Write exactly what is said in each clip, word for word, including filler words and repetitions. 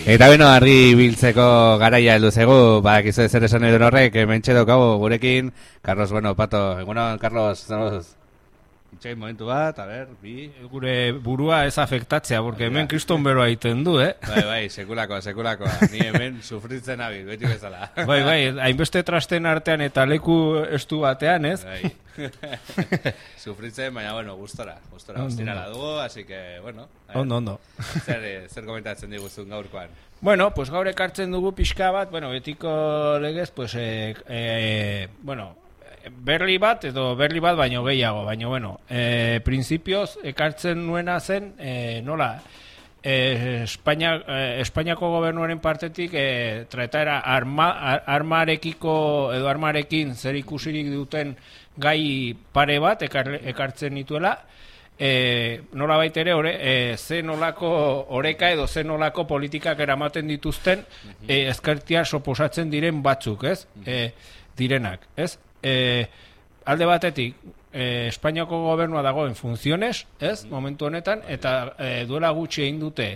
Eta beno, argi biltzeko garaia heldu zegu, badakizu zer esan edo horrek, mentxe daukagu gurekin, Carlos, bueno, Pato, egunon, Carlos, zemoz, itxain momentu bat, a ber, bi... Gure burua ez afektatzea, porque hemen kriston beroa egiten du, eh? Bai, bai, sekulakoa, sekulakoa, ni hemen sufritzen abil, beti bezala. Bai, bai, hainbeste trasten artean eta leku estu batean, ez? Bai. Sufritzen, baina, bueno, gustora, gustora, ostirala dugu, así que, bueno. Ondo, ondo. Zer, zer komentatzen diguzun gaurkoan? Bueno, pues gaur ekartzen dugu pixka bat, bueno, betiko legez, pues, eh, eh, bueno, berli bat, edo berli bat baino gehiago, baino, bueno, eh, principioz ekartzen nuena zen, eh, nola, eh, Espainia, eh, Espainiako gobernuaren partetik eh, trataera arma, ar, armarekiko, edo armarekin zer ikusirik duten gai pare bat ekar, ekartzen nituela, e, nola baitere ore, e, ze nolako oreka edo ze nolako politikak eramaten dituzten e, ezkertia soposatzen diren batzuk, ez? E, direnak, ez? E, alde batetik, e, Espainiako gobernua dagoen funtziones, ez? Momentu honetan, eta e, duela gutxi egin dute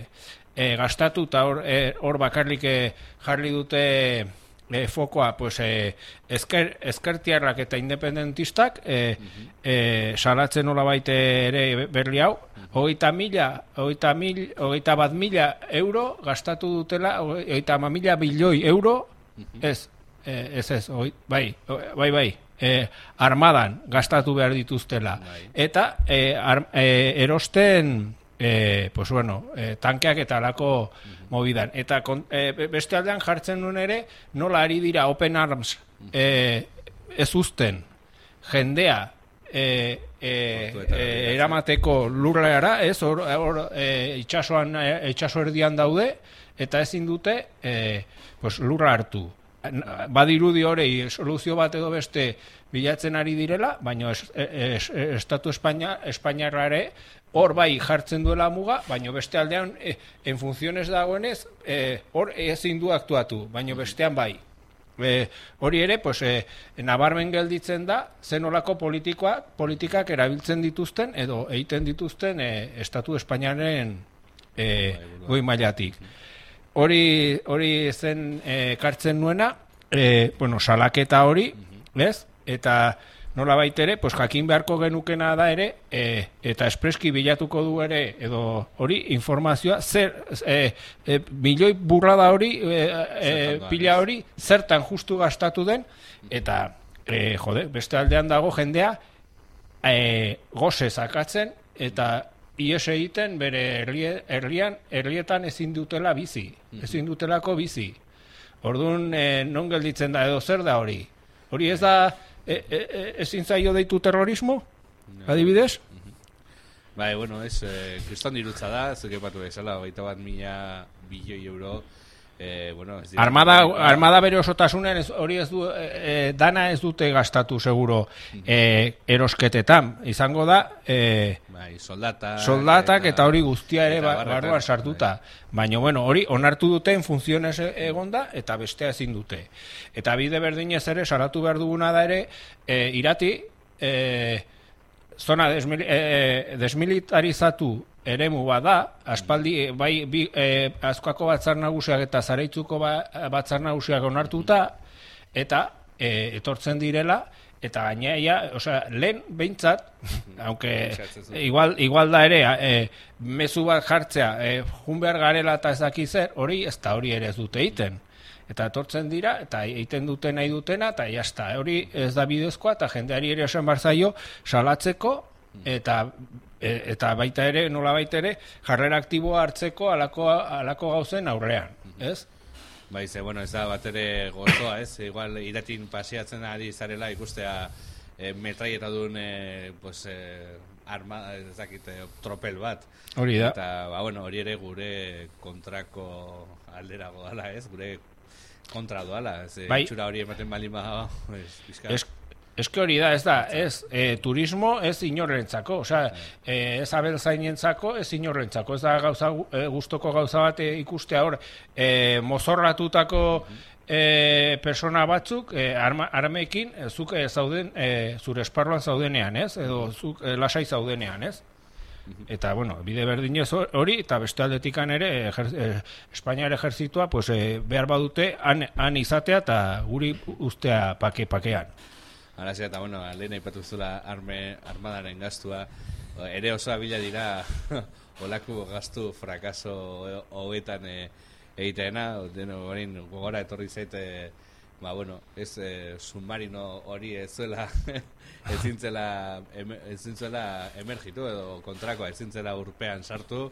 e, gastatu eta hor, e, hor bakarrik e, jarri dute E, fokoa, pues, e, ezker, ezkertiarrak eta independentistak e, uh-huh. e, salatzen nola baite ere berli hau, hogeita mila, hogeita mil, hogeita bat mila euro gastatu dutela, hogeita ama mila bilioi euro, uh-huh. ez, e, ez ez, hoi, bai, bai, bai, e, armadan gastatu behar dituztela, bai. Eta e, ar, e, erosten, e, pues bueno, e, tankeak eta alako uh-huh. mobidan. Eta kon, e, beste aldean jartzen duen ere, nola ari dira Open Arms e, ez uzten jendea e, e, e, eramateko lurreara, ez, hor, hor e, itxasoan, e, itxaso erdian daude, eta ezin dute e, pues, lurra hartu. Badirudi horei soluzio bat edo beste bilatzen ari direla, baina es, es, es, Estatu Espainia, Espainiarra ere hor bai jartzen duela muga, baina beste aldean e, en funtzionez dagoenez e, hor ezin du aktuatu, baina bestean bai. E, hori ere, pues, e, nabarmen gelditzen da, zenolako politikoa, politikak erabiltzen dituzten edo egiten dituzten e, Estatu Espainiaren e, goi mailatik. Hori, hori zen ekartzen e, nuena, e, bueno, salaketa hori, ez? Eta nola baitere, pues, jakin beharko genukena da ere, e, eta espreski bilatuko du ere, edo hori informazioa, zer, e, e, milioi burrada hori, e, e, pila hori, zertan justu gastatu den, eta, e, jode, beste aldean dago jendea, e, goze zakatzen, eta ies egiten bere herrian, herrietan ezin dutela bizi, ezin dutelako bizi. Orduan, e, non gelditzen da, edo zer da hori? Hori ez da, E, e, e, ezin zaio deitu terrorismo, no. Adibidez? Bai, bueno, ez, eh, kriston dirutza da, zuke patu bezala, hogeita bat mila bilioi euro, eh, bueno, ez armada, armada bere osotasunen hori ez du, e, dana ez dute gastatu seguro e, erosketetan, izango da e, bai, soldata, soldatak eta, eta hori guztia ere ba, barruan sartuta, bai. Baina bueno, hori onartu duten funtzionez egonda eta bestea ezin dute. Eta bide berdinez ere salatu behar duguna da ere e, irati e, zona desmil, e, desmilitarizatu eremu bada, aspaldi bai bi, e, Azkoako batzar nagusiak eta Zaraitzuko ba, batzar nagusiak onartuta eta e, etortzen direla eta gainea, osea, lehen behintzat, aunque igual, igual da ere, e, mezu bat jartzea, e, jun behar garela eta ez daki zer, hori ez da hori ere ez dute egiten. Eta etortzen dira, eta egiten dute nahi dutena, eta jazta, hori ez da bidezkoa, eta jendeari ere esan barzaio salatzeko, eta e, eta baita ere, nola baita ere, jarrera aktiboa hartzeko alako, alako gauzen aurrean, ez? Bai, ze, bueno, ez da bat ere gozoa, ez? Igual iratin pasiatzen ari zarela ikustea e, metraieta duen e, pues, e, arma, ez dakit, e, tropel bat. Hori da. Eta, ba, bueno, hori ere gure kontrako aldera godala, ez? Gure kontra doala, ez? Bai. Itxura hori ematen bali ma, ez, bizka. Ez, ez hori da, ez da, ez, e, turismo ez inorrentzako, osea, e, ez abeltzainentzako, ez inorrentzako, ez da gauza, e, gustoko gauza bat e, ikustea hor, e, mozorratutako e, persona batzuk, e, arma, armekin, e, zuk e, zauden, e, zure esparruan zaudenean, ez, edo zuk e, lasai zaudenean, ez? Eta, bueno, bide berdinez hori, eta beste aldetikan ere, ejer, eh, Espainiar ejertzitua, pues, eh, behar badute, han, han izatea eta guri ustea pake-pakean. Harazia, eta, bueno, lehen aipatu zula arme, armadaren gastua, ere oso abila dira olako gastu frakaso hogetan e, egiteena, deno gorin gogora etorri zaite, ba, bueno, ez eh, submarino hori ez zuela ezintzela ezintzela emergitu edo kontrakoa ezintzela urpean sartu,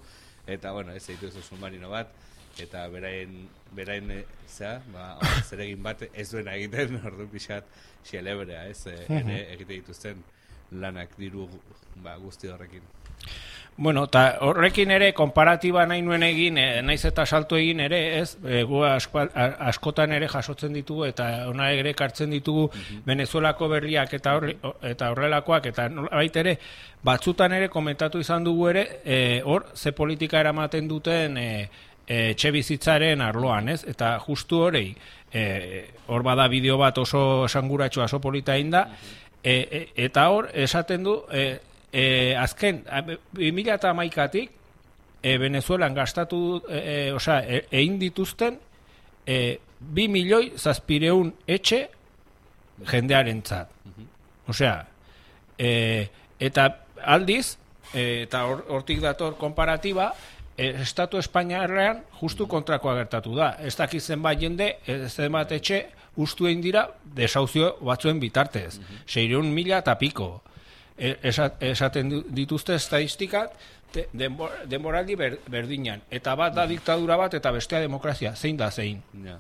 eta, bueno, ez egituzu submarino bat, eta berain, berain e, zera, ba, zeregin bat ez duena egiten, ordu pixat xelebrea, ez, e, ere egite dituzten lanak diru ba, guzti horrekin. Bueno, eta horrekin ere, konparatiba nahi nuen egin, e, naiz eta salto egin ere, ez, e, gu asko, askotan ere jasotzen ditugu, eta ona ere kartzen ditugu uh-huh. Venezuelako berriak eta, horri, eta horrelakoak, eta baita ere, batzutan ere komentatu izan dugu ere, e, hor, ze politika eramaten duten e, e, etxe bizitzaren arloan, ez, eta justu horrei, e, hor bada bideo bat oso esanguratxo, oso polita inda, e, e, eta hor, esaten du, e, E, azken, bi mila hamaikatik e, Venezuelan gastatu, e, e, osea, e, egin dituzten e, bi milioi zazpireun etxe jendearentzat. Osea, e, eta aldiz, e, eta hortik dator konparatiba, e, Estatu Espainiarrean justu kontrakoa gertatu da. Ez dakit zenbait jende, zenbait etxe, ustu egin dira desauzio batzuen bitartez. Seireun mila eta piko. Esaten dituzte estadistikak denboraldi berdinan. Eta bat da diktadura bat eta bestea demokrazia. Zein da zein? Ja.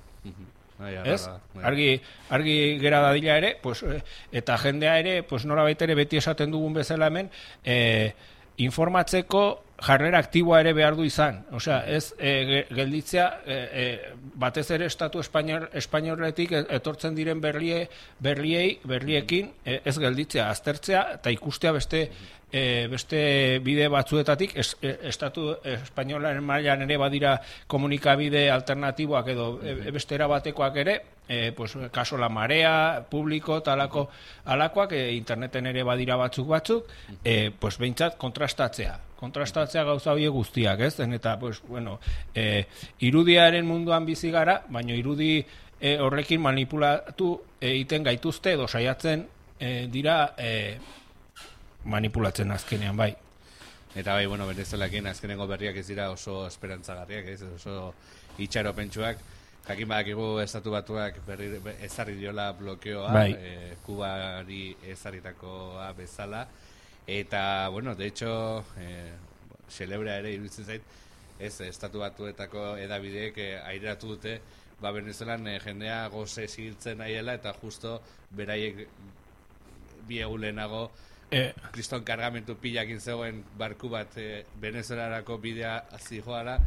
Ez? Argi, argi gera dadila ere, pues, eta jendea ere, pues, nora baitere beti esaten dugun bezala hemen, eh, informatzeko jarrera aktiboa ere behar du izan. Osea, ez e, gelditzea e, e, batez ere Estatu Espainior, Espainiorretik etortzen diren berlie, berliei, berliekin e, ez gelditzea, aztertzea eta ikustea beste e, beste bide batzuetatik es, e, Estatu Espainiolaren mailan ere badira komunikabide alternatiboak edo e, beste erabatekoak ere, e, pues, kaso La Marea, publiko, talako alakoak, e, interneten ere badira batzuk batzuk, e, pues, behintzat kontrastatzea. kontrastatzea gauza horiek guztiak, ez? Eta, pues, bueno, e, irudiaren munduan bizi gara, baina irudi e, horrekin manipulatu egiten gaituzte edo saiatzen e, dira e, manipulatzen azkenean, bai. Eta bai, bueno, Venezuelakin azkenengo berriak ez dira oso esperantzagarriak, ez? Oso itxaropentsuak. Jakin badakigu Estatu Batuak berri, ezarri diola blokeoa, bai. e, Kubari ezarritakoa bezala. Eta, bueno, de hecho, eh, celebra ere iruditzen zait, ez, Estatu Batuetako edabideek eh, aireratu dute, ba, Venezuelan eh, jendea goze zigiltzen nahiela, eta justo beraiek bi egun lehenago eh. kriston kargamentu pilakin zegoen barku bat eh, Venezuelarako bidea zijoala,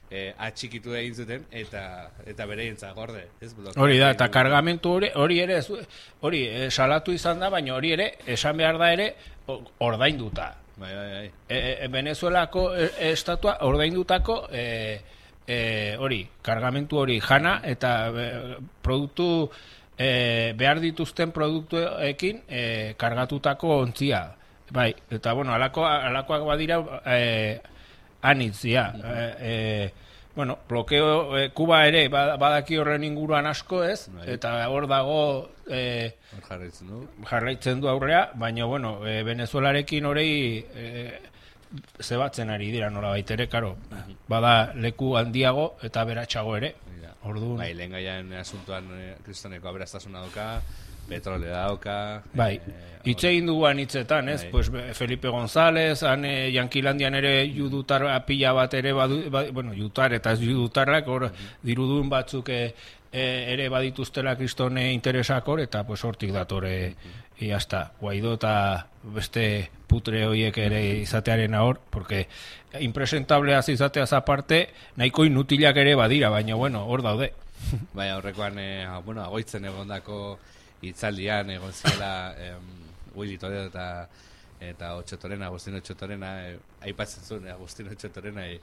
eh, atxikitu egin zuten, eta eta bereientza gorde, ez? Hori da, eta kargamentu hori, hori ere, hori eh, salatu izan da, baina hori ere, esan behar da ere, ordainduta. Bai, bai, bai. E, e, Venezuelako estatua ordaindutako e, e, hori, kargamentu hori jana eta e, produktu e, behar dituzten produktuekin e, kargatutako ontzia. Bai, eta bueno, alako, alakoak badira e, anitzia. E, e, bueno, blokeo, e, Kuba ere badaki horren inguruan asko ez, bai. Eta hor dago e, jarraitzen du. jarraitzen du aurrea, baina bueno, e, Venezuelarekin hori e, zebatzen ari dira nola baitere, karo, bada leku handiago eta beratxago ere. Orduan. Bai, lehen gaian asuntuan e, kristoneko aberastasuna dauka, petrolea dauka. Bai, hitz egin duguan hitzetan, ez? Pues Felipe González, han e, Yankilandian ere judutar pila bat ere, badu, ba, bueno, judutar eta ez judutarrak, hor dirudun batzuk e, e, ere badituztela kristone interesak hor, eta pues hortik datore, e, hasta, Guaidó eta beste putre horiek ere izatearen hor, porque impresentablea izateaz aparte, nahiko inutilak ere badira, baina bueno, hor daude. Bai, horrekoan, e, bueno, agoitzen egondako hitzaldian egon zela em, Willy Toledo eta eta Otxotorena, Agustino Otxotorena, eh, aipatzen zuen Agustino Otxotorena e,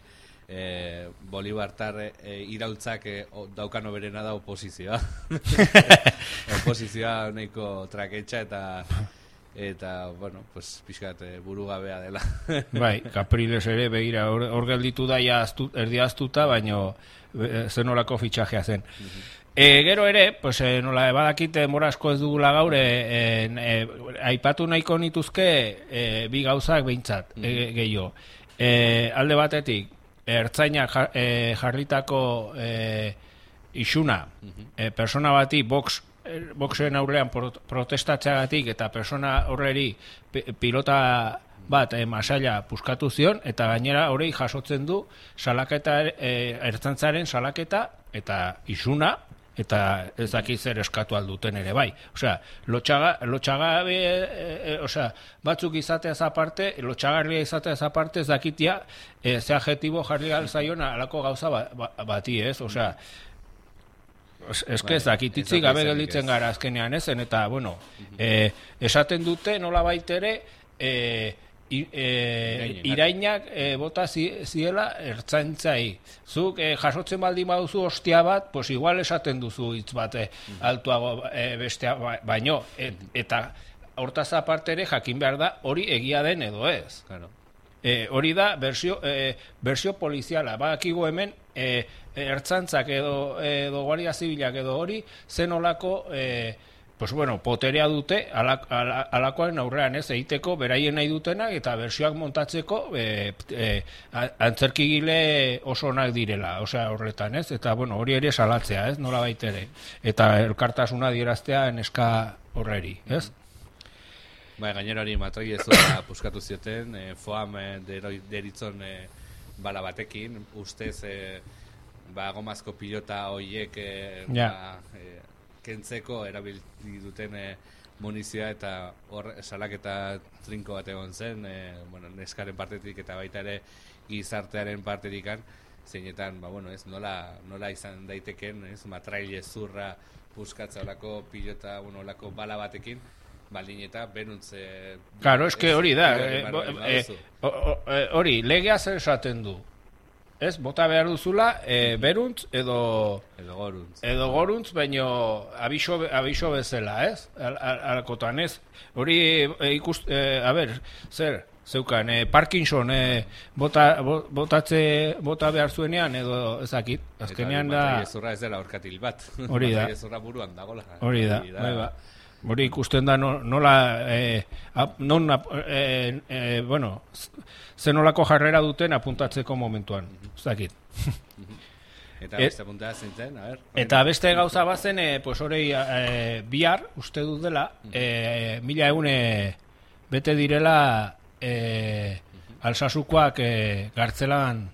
e, Bolibartar e, iraultzak e, o, daukano berena da oposizioa. Oposizioa nahiko traketxa eta eta, bueno, pues, pixkat e, burugabea dela. Bai, Capriles ere, begira, hor, hor gelditu da ja aztu, erdi aztuta, baino e, zenolako fitxajea zen. E, gero ere, pues, e, nola, badakite morasko ez dugula gaur, e, e, aipatu nahiko nituzke e, bi gauzak behintzat, e, gehiago. E, alde batetik, ertzainak jar, e, jarritako e, isuna, e, persona bati box boxen aurrean protestatzeagatik eta persona horreri pilota bat e, masaila puskatu zion, eta gainera horrei jasotzen du salaketa, e, ertzaintzaren salaketa eta isuna, eta ez dakit zer eskatu alduten ere bai. Osea, lotxaga, lotxagabe, e, e, osea, batzuk izateaz aparte, lotxagarria izateaz aparte ez dakitia e, ze adjetibo jarri alzaion alako gauza ba, ba, bati, ez? Osea, ez que ez dakititzi gabe gelditzen gara azkenean ezen, eta, bueno, e, esaten dute nola baitere, e, I, e, irainak e, bota zi, ziela ertzaintzai. Zuk e, jasotzen baldin baduzu ostia bat, pues igual esaten duzu hitz bat e, altuago e, bestea ba, baino, et, eta hortaz aparte ere jakin behar da hori egia den edo ez. Claro. E, hori da bersio, e, bersio poliziala. Badakigu hemen e, ertzantzak edo, edo guardia zibilak edo hori zenolako e, pues bueno, poterea dute alak, alak, alakoaren aurrean ez egiteko beraien nahi dutenak eta bersioak montatzeko e, e, antzerkigile oso onak direla, osea horretan ez, eta bueno, hori ere salatzea ez, nola baitere, eta elkartasuna dieraztea neska horreri, ez? Bai, gainera hori matroi ez da puskatu zioten, e, foam e, deritzon e, bala batekin, ustez e, ba, gomazko pilota hoiek e, ja. ba, e, kentzeko erabili duten e, munizioa, eta hor salaketa trinko bat egon zen, e, bueno, neskaren partetik eta baita ere gizartearen partetikan, zeinetan, ba, bueno, ez, nola, nola izan daiteken, ez, matraile zurra puskatza olako pilota, bueno, olako bala batekin, baldin eta beruntz... E, claro, eske hori da, hori, legea zer esaten du. Ez, bota behar duzula, e, beruntz edo... Edo goruntz. Edo goruntz, baino abiso, abiso bezala, ez? Alkotan, ez? Hori e, ikust... E, a ber, zer, zeukan, e, Parkinson e, bota, botatze, bota behar zuenean, edo ezakit. Azkenean da... Eta zurra ez dela orkatil bat. Hori da. Zurra buruan dagoela. Hori da, bai ba. Hori ikusten da nola, e, non, e, e, bueno, zenolako jarrera duten apuntatzeko momentuan, ez dakit. Eta beste apuntada zintzen, a ber. Eta beste gauza bazen, e, pues horei e, bihar, uste dut dela, e, mila eune bete direla e, Alsasukoak e, gartzelan,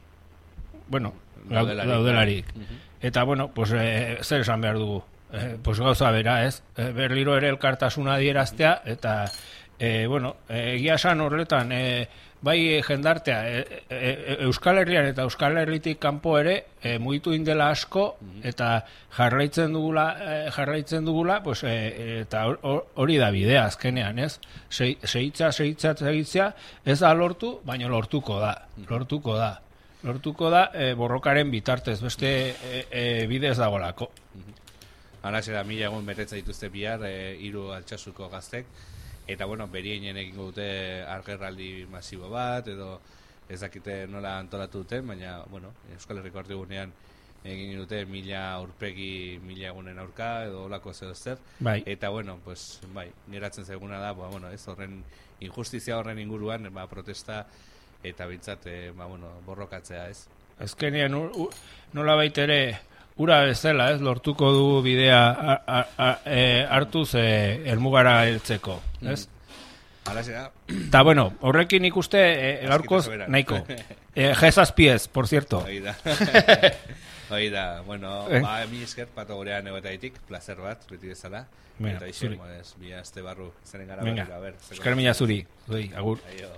bueno, daudelarik. Eta, bueno, pues, e, zer esan behar dugu. Eh, pues gauza bera, ez? Eh, berriro ere elkartasuna adieraztea, eta eh, bueno, egia esan horretan eh, bai jendartea eh, eh, Euskal Herrian eta Euskal Herritik kanpo ere eh, mugitu indela asko, eta jarraitzen dugula, eh, jarraitzen dugula, pues, eh, eta hori da bidea azkenean, ez? Seitza, seitza, seitza, ez da lortu, baina lortuko da, lortuko da. Lortuko da eh, borrokaren bitartez, beste eh, eh, bidez dagolako. Hala zera, mila egun betetza dituzte bihar, e, hiru Altsasuko gaztek, eta, bueno, berieinen egingo dute argerraldi masibo bat, edo ez dakite nola antolatu duten, baina, bueno, Euskal Herriko Erdigunean egin dute mila aurpegi mila egunen aurka, edo olako zeo zer, bai. Eta, bueno, pues, bai, geratzen zaiguna da, ba, bueno, ez horren injustizia horren inguruan, ba, protesta, eta bintzat, e, ba, bueno, borrokatzea, ez? Azkenean, nola baitere, ura bezala, ez, lortuko du bidea a, a, a, e, hartuz e, elmugara heltzeko, ez? Hala zera. Ta bueno, horrekin ikuste e, gaurkoz nahiko. E, Jezazpiez, por cierto. Hoi da. Hoi da, bueno, eh? ba, mi esker pato gurean egotaitik, placer bat, beti bezala. Bueno, eta iso, bi aste barru, zeren gara Venga, berriro, a ber. Esker mila zuri, zuri, agur. Aio.